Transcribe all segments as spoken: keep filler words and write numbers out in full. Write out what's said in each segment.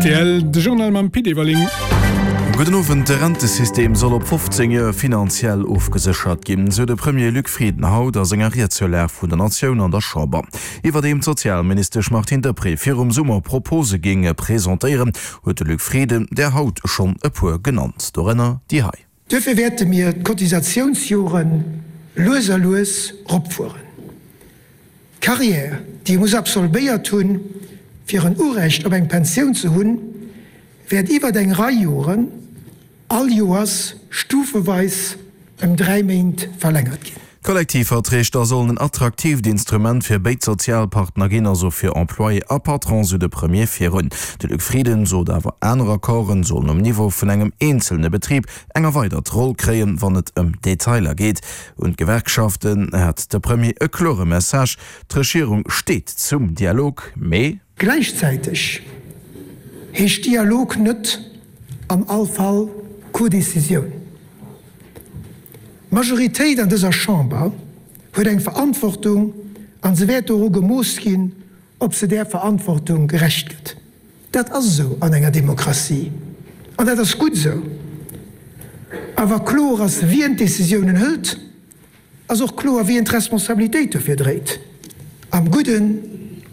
Rtl, De Journal mam Pit Everling. Gudden Owend, De Rentesystem soll op fofzéng Joer finanziell ofgeséchert ginn, sou de Premier Luc Frieden haut a senger Ried zur Lag vun der Natioun an der Chamber. Iwwerdeem d'Sozialministesch Martine Deprez virum Summer Propose géing presentéieren, huet de Luc Frieden der haut schonn e puer genannt, dorënner déi hei. Duerfir wäerte mir d'Cotisatiounsjore lues a lues ropfueren. D'Carrière, déi ee muss absolvéiert hunn, fir en Urecht op eng Pensioun ze hunn, wäert iwwert eng Rei Joren all Joers stufeweis ëm dräi Méint verlängert ginn. D'Kollektivverträg da sollen en attraktiivt Instrument fir béid Sozialpartner ginn, also fir Employé a Patron, sou de Premier virun. De Luc Frieden sot awer, aner Accorden sollen um Niveau vun engem eenzelne Betrib eng erweidert Roll kréien, wann et ëm Detailer geet. Un d'Gewerkschaften hat de Premier e klore Message, D'Regierung steet zum Dialog, mee. Gläichzäiteg heescht Dialog net an all Fall Codécisioun. D'Majoritéit an dëser Chamber huet eng Verantwortung a se wäert doru gemooss ginn, ob se där Verantwortung gerecht gëtt. Dat ass esou an enger Demokratie an dat ass gutt esou. A wa kloer ass, wien d'Décisiounen hëlt, ass och kloer, wien d'Responsabilitéit dofir dréit, am Gudden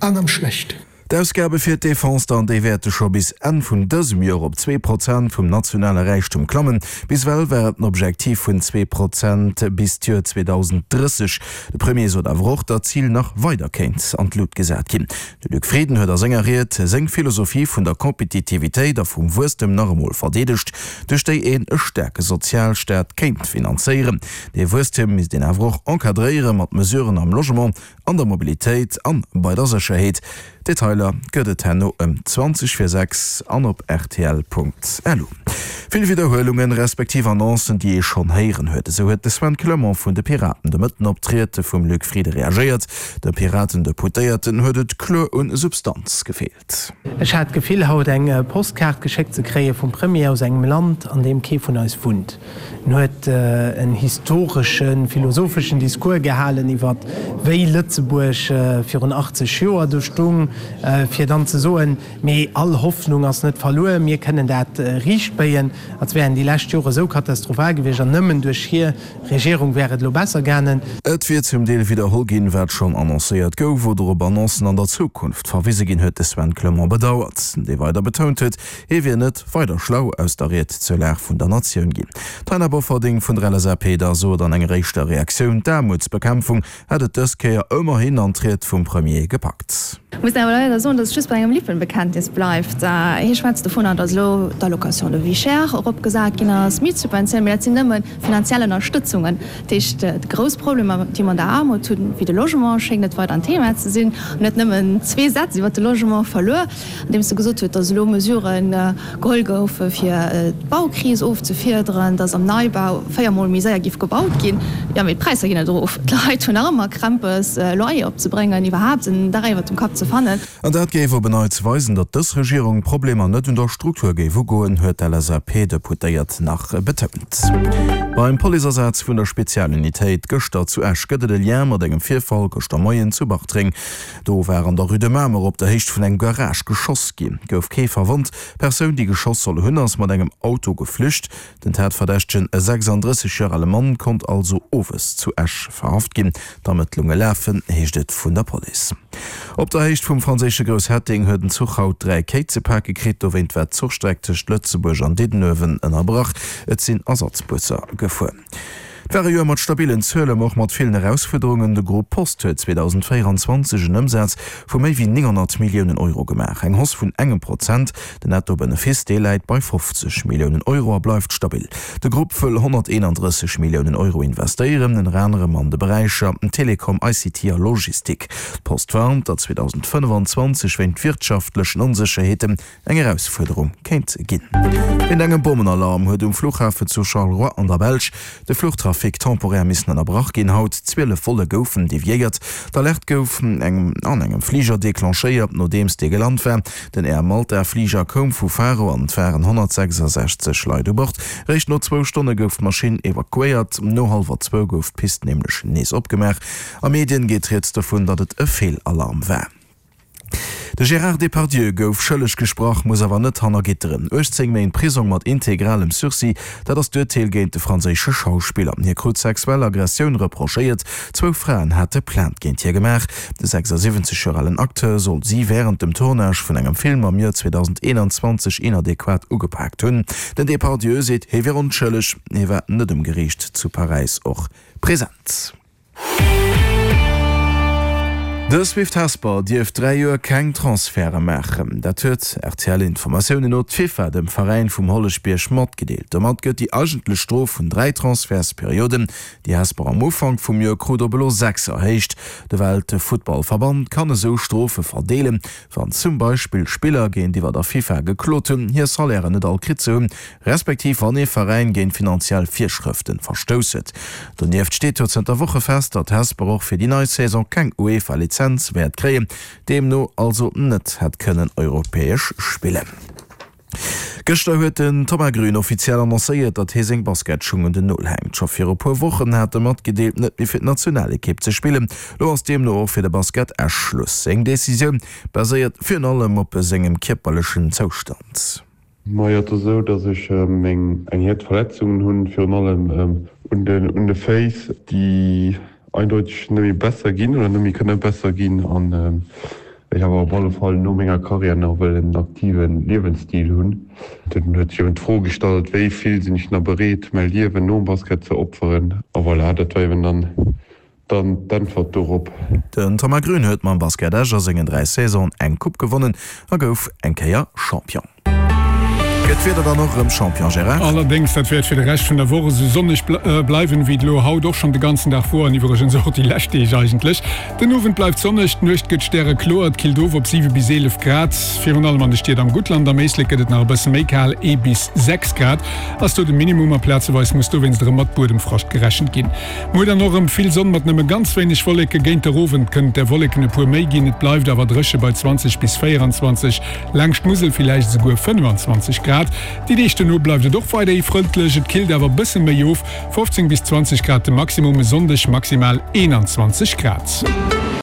an am Schlechten. D'Ausgabe fir d'Defense dann, déi wäerte scho bis Enn vun dësem Joer op zwee Prozent vum nationale Räichtum klammen. Bis ewell war et en Objektiv vun zwee Prozent bis d'Joer zweedausenddrësseg. De Premier sot awer och, datt d'Zil nach weider kéint an d'Lut gesat ginn. De Luc Frieden huet a senger Ried seng Philosophie vun der Kompetitivitéit a vum Wuesstem nach emol verdeedegt, duerch déi een e staarke Sozialstaat kéint finanzéieren. Dee Wuesstem misst een awer och encadréiere mat Mesuren am Logement, an der Mobilitéit an bei der Sécherheet. Detailer gëtt et herno ëm zwanzeg vir sechs an op rtl.lu. Vill Widderhuelungen, respektiv Annoncen, déi ee schonn héieren huet. Esou huet de Sven Clement vun de Piraten de Mëtten op d'Ried vum Luc Frieden reagéiert. De Piraten-Deputéierten huet et kloer un Substanz gefeelt. Ech hat d'Gefill, haut eng Postkaart geschéckt ze kréie vum Premier aus engem Land, an deem kee vun eis wunnt. En huet en historeschen, philosopheschen Discours gehalen iwwer wéi Lëtzebuerg virun achtzeg Joer do stung, fir dann ze soen, mee all Hoffnung ass net verluer, mir kënnen dat riichtbéien, als wären déi lescht Jore sou katastrophal gewiescht an nëmmen duerch hir Regierung wär et elo besser gaangen. Et wier zum Deel widderholl ginn, wat schonn annoncéiert gouf oder op Annoncen an der Zukunft verwise ginn, huet de Sven Clement bedauert, dee weider betount huet, hie wier net weider schlau aus der Ried zur Lag vun der Natioun ginn. D'Taina Bofferding vun der L S A P da sot an enger éischter Reaktioun, d'Aarmutsbekämpfung hätt et dës Kéier ëmmerhin an d'Ried vum Premier gepackt. Ech muss awer leider soen, datt et just bei engem Lippenbekenntnis bleift. Hie schwätzt dovunner, datt elo d'Allocation de vie chère eropgesat ginn ass, d'Mietsubventioun, mee dat sinn nëmme finanziell Ënnerstëtzungen. Dat heescht, déi grouss Problemer, déi mer an der Aarmut hunn, wéi de Logement, schéngt net weider en Thema ze sinn. En huet nëmmen zwee Sätz iwwert de Logement verluer, andeems e gesot huet, datt elo Mesurë geholl goufe fir d'Baukris ofzefiederen, datt am Neibau véier Mol méi séier géif gebaut ginn. Jo, mee d'Präisser ginn net erof. D'Leit hunn nach ëmmer Krämpes, Loyer opzebréngen, iwwerhaapt en Dach iwwert dem Kapp ze fannen. An dat géif op en Neits weisen, datt dës Regierung d'Problemer net un der Struktur géif ugoen, huet d'L S A P-Deputéiert nach betount. Beim Policeasaz vun der Spezialunitéit gëschter zu Esch gëtt et e Lien mat engem Virfall gëschter Moien zu Bartreng. Do war an der Rue de Mamer op der Héicht vun engem Garage geschoss ginn. Gouf kee verwonnt. D'Persoun, déi geschoss soll hunn, ass mat engem Auto geflücht. Den Tatverdächtegen, e sechsanddrësseg Joer ale Mann, konnt also owes zu Esch verhaft ginn. D'Ermëttlunge lafen, heescht et vun der Police. Op der Héicht vum franséische Grousshetteng huet en Zuch haut dräi Kéi ze pake kritt. Dowéint war d'Zuchstreck tëscht Lëtzebuerg an Diddenuewen ënnerbrach. Et sinn Ersatzbusser gefuer. Et war e Joer mat stabillen Zuelen, ma och mat villen Erausfuerderungen. De Grupp Post huet zweedausendvéieranzwanzeg en Ëmsaz vu méi wéi nénghonnert Milliounen Euro gemaach, eng Hausse vun engem Prozent. Den Netto-Benefice, dee läit bei fofzeg Milliounen Euro a bleift stabil. De Grupp wëll honnerteenandrësseg Milliounen Euro investéieren, ënner anerem an de Beräicher Telekom, I C T a Logistik. D'Post warnt, datt zweedausendfënnefanzwanzeg wéint wirtschaftlechen Onsécherheeten eng Erausfuerderung kéint ginn. Wéint engem Bommenalarm huet um Fluchhafen zu Charleroi an der Belsch de Fluchtrafic temporär missen ënnerbrach ginn. Haut zwielef Volle goufen deviéiert. D'Alerte gouf engem an engem Fliger declenchéiert, nodeems dee gelant war. Den Air Malta Fliger koum vu Faro an et waren honnertsechsasechzeg Leit u Bord. Réischt no zwou Stonne gouf d'Maschinn evakuéiert. No hallwer zwou gouf d'Pist nämlech nees opgemaach. A Medien geet rieds dovun, datt et e Feelalarm war. De Gérard Depardieu gouf schëlleg gesprach, muss awer net hanner Gitteren. uechtzéng Méint Prisong mat integralem Sursis, dat ass d'Urteel géint de franséische Schauspiller. Hie krut sexuell Aggressioun reprochéiert, zwou Fraen hate Plainte géint hie gemaach. De sechsasiwwenzeg Joer alen Acteur soll si wärend dem Tournage vun engem Film am Joer zweedausendeonzwanzeg inadequat ugepaakt hunn. Den Depardieu seet, hie wier onschëlleg. Hie war net um Geriicht zu Paräis och present. De Swift Hesper dierf dräi Joer keng Transferte maachen. Dat huet R T L-Informatiounen no d'FIFA dem Veräin vum Holleschbierg matgedeelt. Domat gëtt déi eigentlech Strof vun dräi Transfertsperioden, déi Hesper am Ufank vum Joer krut, op elo sechs erhéicht. De Weltfuttballverband kann esou Strofe verdeelen, wann zum Beispill Spiller géintiwwer der FIFA geklot hunn, hir Salairen net all kritt ze hunn, respektiv wann ee Veräin géint finanziell Virschrëften verstouss huet. Donieft steet jo zënter Woche fest, datt Hesper och fir déi nei Saison keng UEFA-Lizenz wäert kréien, deemno also net hätt kënnen europäesch spillen. Gëschter huet den Thomas Grün offiziell annoncéiert, datt hie seng Basketschung un den Nol hänkt. Scho viru puer Wochen hat e matgedeelt, net méi fir d'Nationalekipp ze spillen. Lo ass deemno och fir de Basket Esch Schluss. Seng Decisioun baséiert virun allem op sengem kierperlechen Zoustand. Majo, et ass esou, datt ech meng eng Herd Verletzungen hunn, virun allem un den un de Féiss, déi eindeuteg net méi besser ginn oder net méi kënne besser ginn an ech awer op alle Fall no menger Karriär nach wëll en aktive Liewensstil hunn. Dunn huet sech eben d'Fro gestallt, wéi vill sinn ech nach bereet, mäi Liewen nom Basket ze opferen? A voilà, dat war eben dann dann d'Äntwert dorop. Den Thomas Grün huet mam Basket Esch a sengen dräi Saisonen eng Coupe gewonnen a gouf eng Kéier Champion. Gëtt d'Wieder dann och erëm Champion, Gérard? Allerdéngs, dat wäert fir de Rescht vun der Woch esou sonneg bleiwen, wéi et elo haut och schonn de ganzen Dag wor an iwwregens och déi lescht Deeg eigentlech. Den Owend bleift sonneg, d'Nuecht gëtt stärekloer, et killt of op siwe bis eelef Grad. Virun allem an de Stied am Guttland, am Éislek gëtt et nach e bësse méi kal, ee bis sechs Grad ass do de Minimum a plazeweis muss dowéinst erëm mat Buedemfrascht gerechent ginn. Muer dann och erëm vill Sonn mat nëmme ganz wéineg Wolleke, géint der Owend kënnen der Wolleken e puer méi ginn, et bleift awer dréche bei zwanzeg bis véieranzwanzeg, laangscht d'Musel villäicht esouguer fënnefanzwanzeg Grad. Déi Deeg dono bleift et och weiderhi frëndlech, et killt awer bësse méi of, fofzéng bis zwanzeg Grad de Maximum, e Sonndeg maximal eenanzwanzeg Grad.